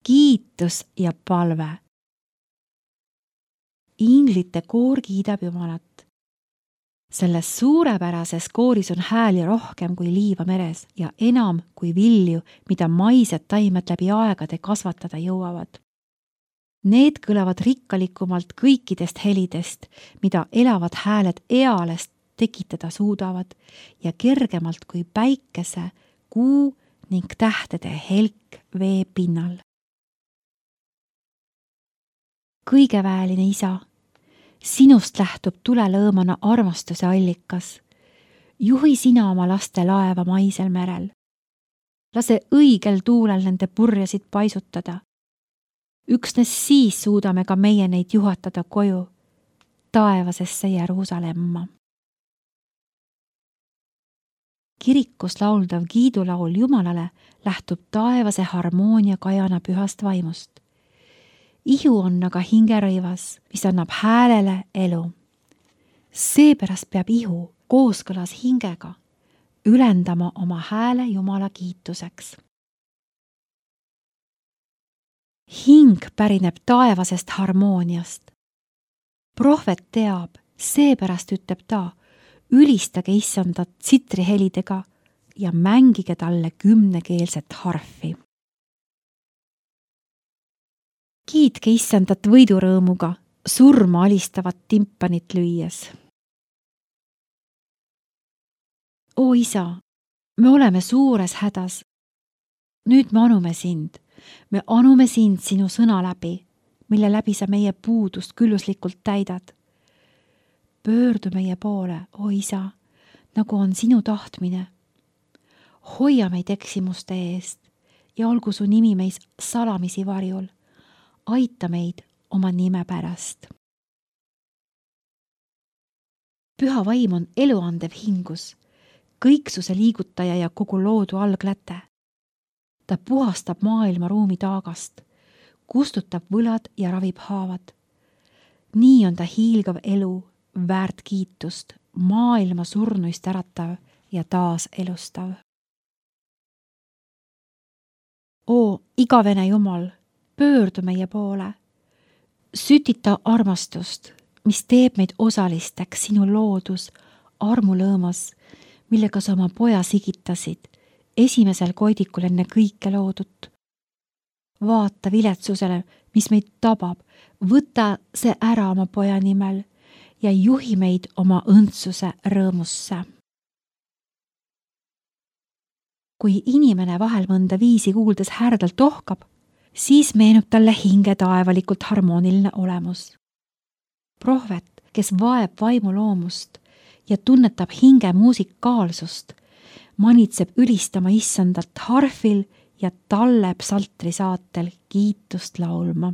kiitus ja palve. Inglite koor kiidab Jumalat. Selles suurepärases kooris on hääli rohkem kui liiva meres ja enam kui vilju, mida maised taimed läbi aegade kasvatada jõuavad. Need kõlavad rikkalikumalt kõikidest helidest, mida elavad hääled ealest tekitada suudavad ja kergemalt kui päikese, kuu ning tähtede helk vee pinnal. Kõigeväeline Isa, sinust lähtub tulelõõmana armastuse allikas. Juhi sina oma laste laeva maisel merel. Lase õigel tuulel nende purjesid paisutada. Üksnes siis suudame ka meie neid juhatada koju, taevasesse Jeruusalemma. Kirikus lauldav kiidulaul Jumalale lähtub taevase harmoonia kajana pühast vaimust. Ihu on aga hingerõivas, mis annab häälele elu. Seepärast peab ihu kooskõlas hingega ülendama oma hääle Jumala kiituseks. Hing pärineb taevasest harmooniast. Prohvet teab, seepärast ütleb ta, ülistage Issandat tsitrihelidega ja mängige talle 10-keelset harfi. Kiitke Issandat võidurõõmuga, surma alistavat timpanit lüües. O Isa, me oleme suures hädas. Nüüd me anume sind. Me anume sind sinu sõna läbi, mille läbi sa meie puudust külluslikult täidad. Pöördu meie poole, o Isa, nagu on sinu tahtmine. Hoia meid eksimuste eest ja olgu su nimi meis salamisi varjul. Aita meid oma nime pärast. Püha vaim on eluandev hingus, kõiksuse liigutaja ja kogu loodu algläte. Ta puhastab maailma ruumi taagast, kustutab võlad ja ravib haavad. Nii on ta hiilgav elu, väärt kiitust, maailma surnuist äratav ja taas elustav. O igavene Jumal, pöördu meie poole. Sütita armastust, mis teeb meid osalisteks sinu loodus, armulõõmas, millega sa oma poja sigitasid, esimesel koidikul enne kõike loodut. Vaata viletsusele, mis meid tabab, võta see ära oma poja nimel ja juhi meid oma õndsuse rõõmusse. Kui inimene vahel mõnda viisi kuuldes härdalt ohkab, siis meenub talle hinge taevalikult harmooniline olemus. Prohvet, kes vaeb vaimu loomust ja tunnetab hinge muusikaalsust, manitseb ülistama Issandat harfil ja talle psaltri saatel kiitust laulma.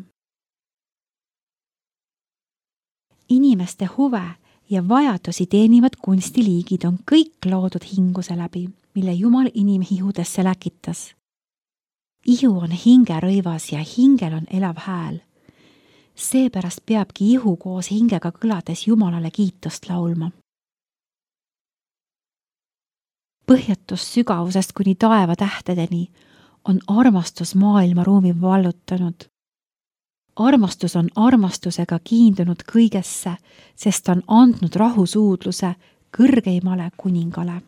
Inimeste huve ja vajadusi teenivad kunstiliigid on kõik loodud hinguse läbi, mille Jumal inimihudesse läkitas. Ihu on hingerõivas ja hingel on elav hääl. Seepärast peabki ihu koos hingega kõlades Jumalale kiitust laulma. Põhjatust sügavusest kuni taeva tähtedeni on armastus maailma ruumi vallutanud. Armastus on armastusega kiindunud kõigesse, sest on andnud rahusuudluse kõrgeimale kuningale.